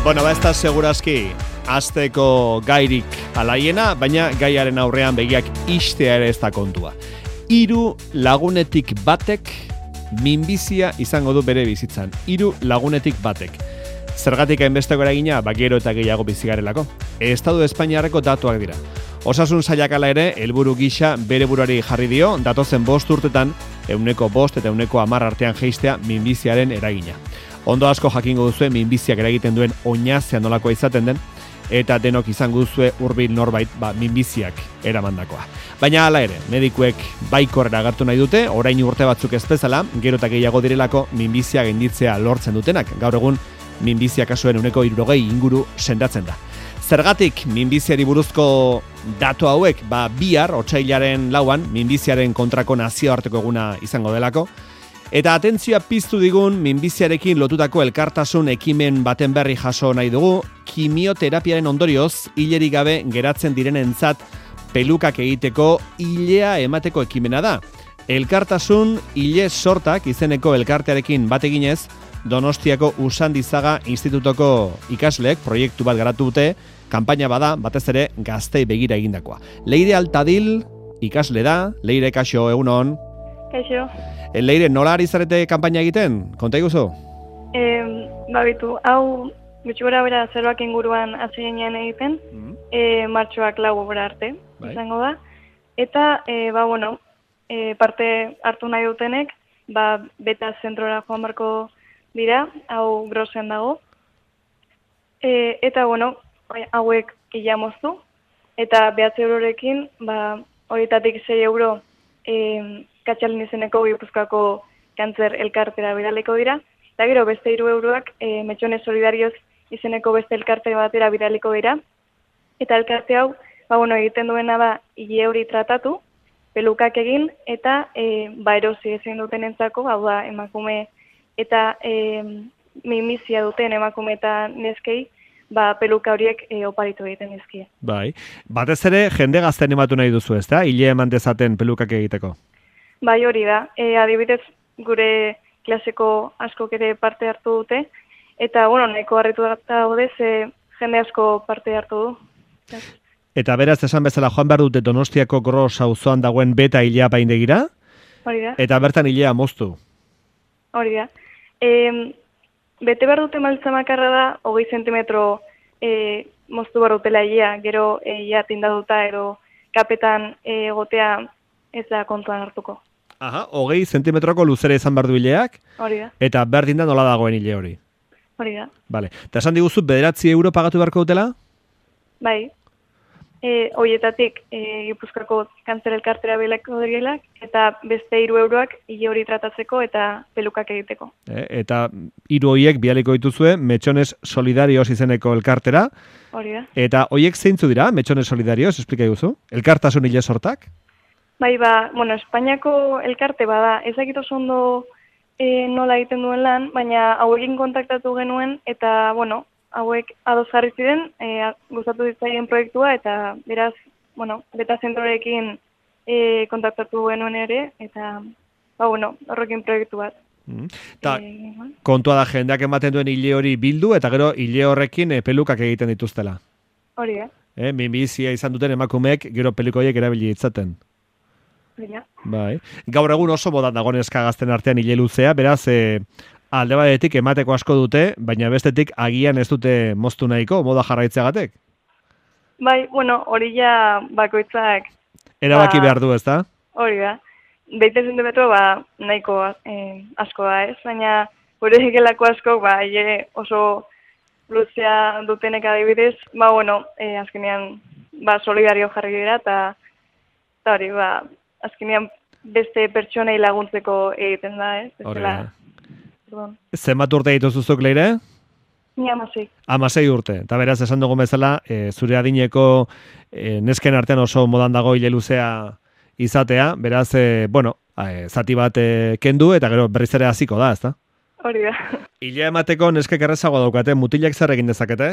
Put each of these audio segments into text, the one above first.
Bueno, ez da segurazki asteko gairik alaiena, baina gaiaren aurrean begiak istea ere ez da kontua. 3 lagunetik batek minbizia izango du bere bizitzan. 3 lagunetik batek. Zergatik hainbesteko eragina, gero eta gehiago bizigarelako. Estatu Espainiarreko datuak dira. Osasun sailak hala ere, helburu gisa bere buruari jarri dio, datozen 5 urtetan, 5% eta 10% artean jeistea minbiziaren eragina. Ondo asko jakingo duzue minbiziak eragiten duen oinazea nolakoa izaten den, eta denok izango duzue hurbil norbait minbiziak eramandakoa. Baina hala ere, medikuek baikorrera agertu nahi dute, orain urte batzuk ez bezala, gero eta gehiago direlako minbizia gainditzea lortzen dutenak. Gaur egun, minbizia kasuen 60% inguru sendatzen da. Zergatik minbiziari buruzko datu hauek, bihar, otsailaren 4, minbiziaren kontrako nazioarteko eguna izango delako, eta atentzioa piztu digun minbiziarekin lotutako elkartasun ekimen baten berri jaso nahi dugu, kimioterapiaren ondorioz, hilerik gabe geratzen direnentzat pelukak egiteko hilea emateko ekimena da. Elkartasun hile sortak izeneko elkartearekin bat eginez, Donostiako Usandizaga Institutoko ikasleek proiektu bat garatu dute, kanpaina bada, batez ere gaztei begira egindakoa. Leire Altadil ikasle da, Leire kaixo egunon. Kaixo. Leire, nola ari zarete kanpaina egiten? Konta iguzu? Babitu, hau gutxi gora bera zeroak inguruan azinean egiten, martxoak 4 arte izango da. Eta, parte hartu nahi dutenek, beta zentrora joan barko dira, hau grosen dago. Eta, hauek ila moztu, eta 9 eurorekin, horietatik 6 euro Katxalin izeneko Gipuzkoako kantzer elkartera bidaliko dira, eta gero beste 3 euroak Metxone Solidarioz izeneko beste elkarte batera bidaliko dira, eta elkarte hau, egiten duena da hile hori tratatu, pelukak egin, eta erosi ezin duten entzako, hau da emakume eta minbizia duten emakume eta neskei, peluka horiek oparitu egiten dizkie. Bai, batez ere jende gazten ematu nahi duzu, ezta? Hile eman dezaten pelukak egiteko. Bai, hori da. Adibidez, gure klaseko askok ere parte hartu dute, eta, nahiko harritu daude, ze jende asko parte hartu du. Eta beraz, esan bezala joan behar dute Donostiako Gros auzoan dagoen beta hilea paindegira? Hori da. Eta bertan hilea moztu? Hori da. Bete behar dute maltza makarra da, 20 zentimetro moztu behar dutela hilea, gero hilea tindaduta edo kapetan egotea ez da kontuan hartuko. Aha, 20 zentimetroko luzera izan behar du hileak? Hori da. Eta berdin da nola dagoen hile hori? Hori da. Vale. Eta esan diguzu, 9 euro pagatu beharko dutela? Bai. Horietatik Gipuzkoako kantzer elkartera bilako dirielak, eta beste 3 euroak hile hori tratatzeko eta pelukak egiteko. Eta 3 horiek bialiko dituzue Metxones Solidarioz izeneko elkartera. Hori da. Eta horiek zeintzu dira, Metxones Solidarioz, esplika guzu? Elkartasun hile sortak? Bai, Espainiako elkarte bada, ezakit oso ondo nola egiten duen lan, baina hauekin kontaktatu genuen, eta, hauek ados jarri ziren, gustatu ditzaien proiektua, eta beraz, beta zentrorekin kontaktatu genuen ere, eta, horrekin proiektu bat. Kontua da jendeak ematen duen hile hori bildu, eta gero hile horrekin pelukak egiten dituztela. Hori da. Minbizia izan duten emakumeek gero pelukoiek erabili ditzaten. Bai. Gaur egun oso modan dago neska gazten artean hile luzea, beraz, alde batetik emateko asko dute, baina bestetik agian ez dute moztu nahiko, moda jarraitzeagatek? Bai, hori ja bakoitzak... Erabaki behar du, ezta? Hori da. 20 zentimetro, nahiko asko da, ez? Baina, gure egelako asko, oso luzea dutenek adibidez, azkenean, solidario jarri dira, eta hori, azkenean beste pertsonei laguntzeko egiten da, ez? Hori da. Zenbat urte dituzuzuk, Leire? Ni 16. 16 urte. Eta beraz, esan dugun bezala, zure adineko nesken artean oso modan dago hile luzea izatea, beraz, zati bat kendu, eta gero berriz ere hasiko da, ezta? Hori da. Hilea emateko neskek errezagoa daukate, mutilak zer egin dezakete?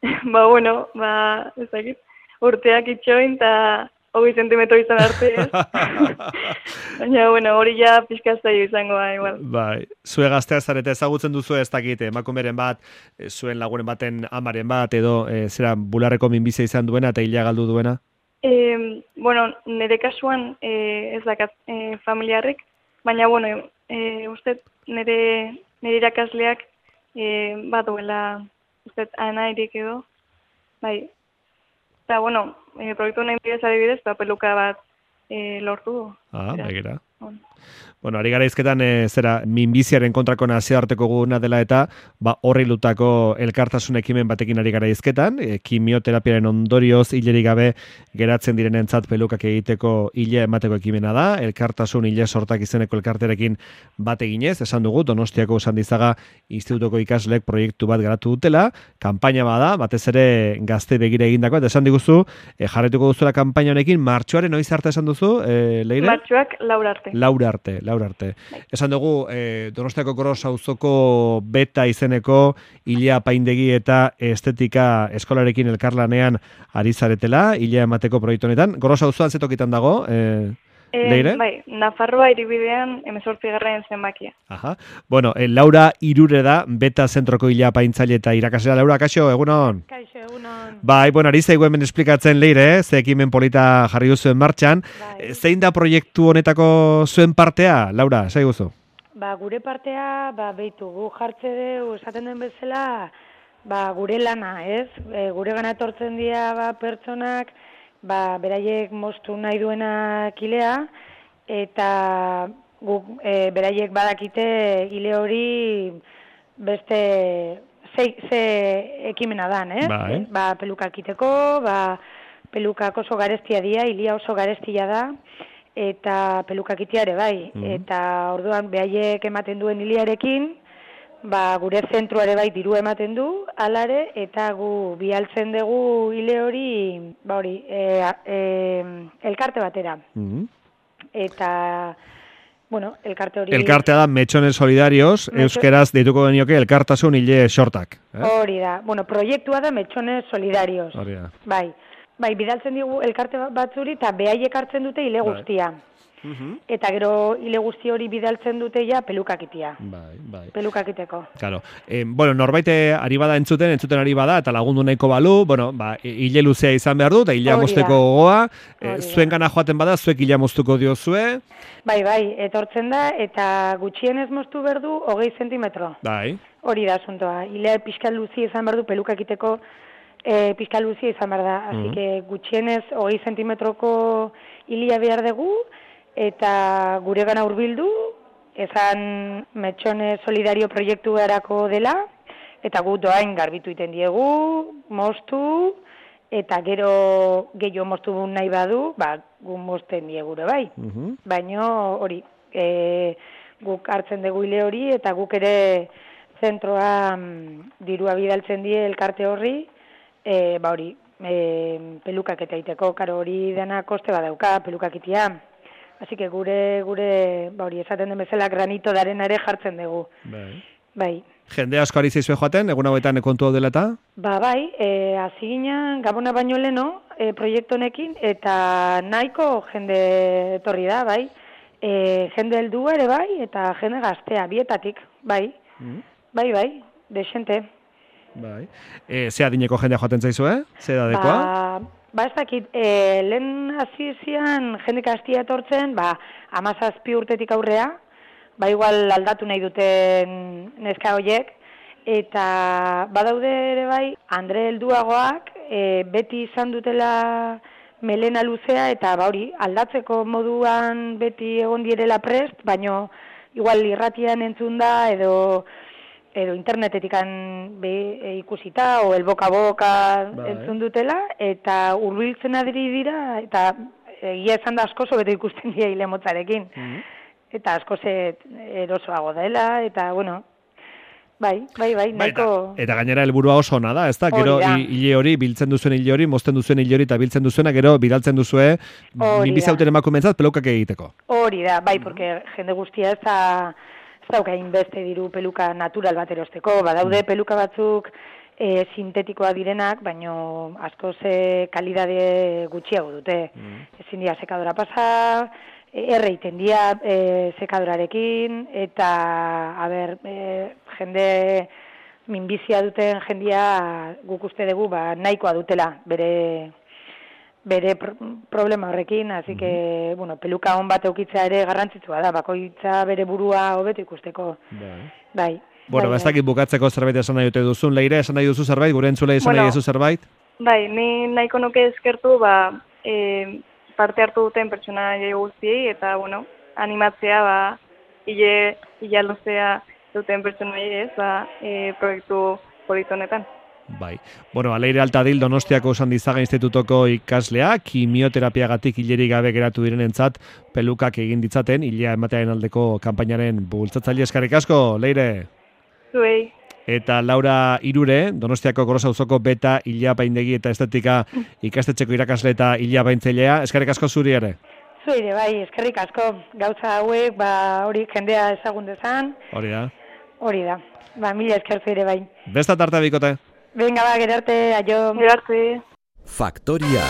Ez dakit. Urteak itxoin, eta 20 zentimetro izan arte, ez? Baina, bueno, hori ja pixka zaio izango da, igual. Bai, zue gaztea zarete ezagutzen duzu ez dakit, emakumeren bat, zuen lagunen baten amaren bat, edo zera bularreko minbizia izan duena eta hila galdu duena? Bueno, nire kasuan ez dakat familiarrik, baina, bueno, uste nire irakasleak bat duela, uste anairik edo, bai. Eta, bueno, proiektu honen bidez adibidez, peluka bat lortu du. Begira. Bueno, ari gara izketan, zera, minbiziaren kontrako nazioarteko guna dela eta, horri lutako elkartasun ekimen batekin ari gara izketan, kimioterapiaren ondorioz hilerik gabe geratzen direnentzat pelukak egiteko hile emateko ekimena da, elkartasun hile sortak izeneko elkarterekin bat eginez, esan dugu, Donostiako Usandizaga Institutoko ikaslek proiektu bat garatu dutela, kanpaina bada, batez ere gazte begira egindako, eta esan diguzu, jarretuko duzula kanpaina honekin, martxoaren noiz arte esan duzu, Leire? Martxoak Laura arte. Esan dugu, Donostiako Gros auzoko beta izeneko hilea apaindegi eta estetika eskolarekin elkarlanean ari zaretela, hilea emateko proiektu honetan. Gros auzoan zetokitan dago, Leire? Bai, Nafarroa hiribidean 18. zenbakia. Aha. Bueno, Laura Irure da, beta zentroko hilea apaintzaile eta irakaslea. Laura, kaixo, egunon? Kaixo, egunon. Bai, bueno, ari zaigu hemen esplikatzen Leire, ze ekimen polita jarri duzuen martxan. Bai. Zein da proiektu honetako zuen partea, Laura, zaiguzu? Gure partea, behitu, gu jartze dugu, esaten den bezala, gure lana, ez? Gure gana etortzen dira pertsonak, beraiek moztu nahi duenak hilea, eta beraiek badakite hile hori beste ze ekimena dan, ez? Bai. Pelukak iteko, pelukak oso garestia dira, hilia oso garestia da, eta pelukak itea ere bai. Eta orduan beraiek ematen duen hiliarekin, gure zentruare bai diru ematen du, alare, eta gu bialtzen dugu hile hori, elkarte batera. Eta, bueno, elkarte hori... Elkartea da Metxones Solidarios, euskeraz deituko genioke elkartasun hile sortak. Hori da, bueno, proiektua da Metxones Solidarios. Hori da. Bai, bidaltzen digu elkarte batzuri, eta behaiek hartzen dute hile guztia. Eta gero hile guzti hori bidaltzen dute ja pelukakitia. Bai. Pelukakiteko. Claro. Bueno, norbait ari bada entzuten ari bada, eta lagundu nahiko balu, bueno, hile luzea izan behar du, eta hilea mozteko gogoa, zuen gana joaten bada, zuek hilea moztuko diozue. Bai, etortzen da, eta gutxienez moztu behar du 20 zentimetro. Bai. Hori da asuntoa. Hilea pixka luzia izan behar du pelukakiteko pixka luzia izan behar da. Así que gutxienez 20 zentimetroko hilia behar dugu, eta gure gana hurbildu, ezan Metxone Solidario proiektu erako dela, eta gu doain garbitu iten diegu, moztu, eta gero gehiago moztu nahi badu, gu mozten diegure bai. Baina hori, guk hartzen dugu hile hori, eta guk ere zentroa dirua bidaltzen die elkarte horri, hori, pelukak eta iteko, karo hori dena koste badauka, pelukak itia. Así que gure hori esaten den bezala granito darena ere jartzen dugu. Bai. Jende asko ari zaizue joaten, egun hauetan kontu hau dela eta? Bai, hasi ginen Gabona baino leno proiektu honekin, eta nahiko jende etorri da, bai. Jende heldua ere bai, eta jende gaztea, bietatik, bai. Bai, desente. Bai. Ze adineko jendea joaten zaizue? Ze edadekoa? Ez dakit, lehen hasizian jende gaztia etortzen, 17 urtetik aurrea, igual aldatu nahi duten neska horiek, eta badaude ere bai, Andre helduagoak beti izan dutela melena luzea, eta hori, aldatzeko moduan beti egon direla prest, baino igual irratian entzun da, edo internetetik ikusita, o el boca a boca entzun dutela, eta hurbiltzen adiri dira, eta egia esan da asko bete ikusten dira hile motzarekin. Eta asko erosoago dela, eta bueno, bai, nahiko... Eta gainera helburua oso ona da, ez da? Gero hile hori, biltzen duzuen hile hori, mozten duzuen hile hori, eta biltzen duzuena, gero bidaltzen duzue, minbizauten emakumentzat pelukak egiteko. Hori da, bai, porque jende guztia ez dauka inbeste diru peluka natural bat erosteko. Badaude peluka batzuk sintetikoa direnak, baino askoz kalidade gutxiago dute. Ezin dira sekadora pasa, erreiten dira sekadorarekin, eta, jende minbizia duten jendia guk uste dugu nahikoa dutela bere problema horrekin, así que, peluka on bat eukitzea ere garrantzitsua da, bakoitza bere burua hobeto ikusteko. Bai. Bueno, ez dakit bukatzeko zerbait esan nahi dute duzun, Leire, esan nahi duzu zerbait, gure entzulei esan nahi duzu zerbait? Bai, ni nahiko nuke eskertu, parte hartu duten pertsonaia guztiei, eta, animatzea, hile luzea duten pertsonaia proiektu polito honetan. Bai. Bueno, Leire Altadil Donostiako Sandizaga Institutoko ikaslea, kimioterapiagatik hilerik gabe geratu direnentzat pelukak egin ditzaten, hilea ematearen aldeko kanpainaren bultzatzaile. Eskerrik asko, Leire. Zuei. Eta Laura Irure, Donostiako Gorosa auzoko beta hilapaindegi eta estetika ikastetxeko irakasle eta hilapaintzailea. Eskerrik asko zuri ere. Zuire, bai, eskerrik asko. Gauza hauek, hori jendea ezagun dezan. Hori da. Hori da. Mila esker zuire, bai. Besta tarte bikote. Venga, gerarte, aio. Gerarte. Faktoria.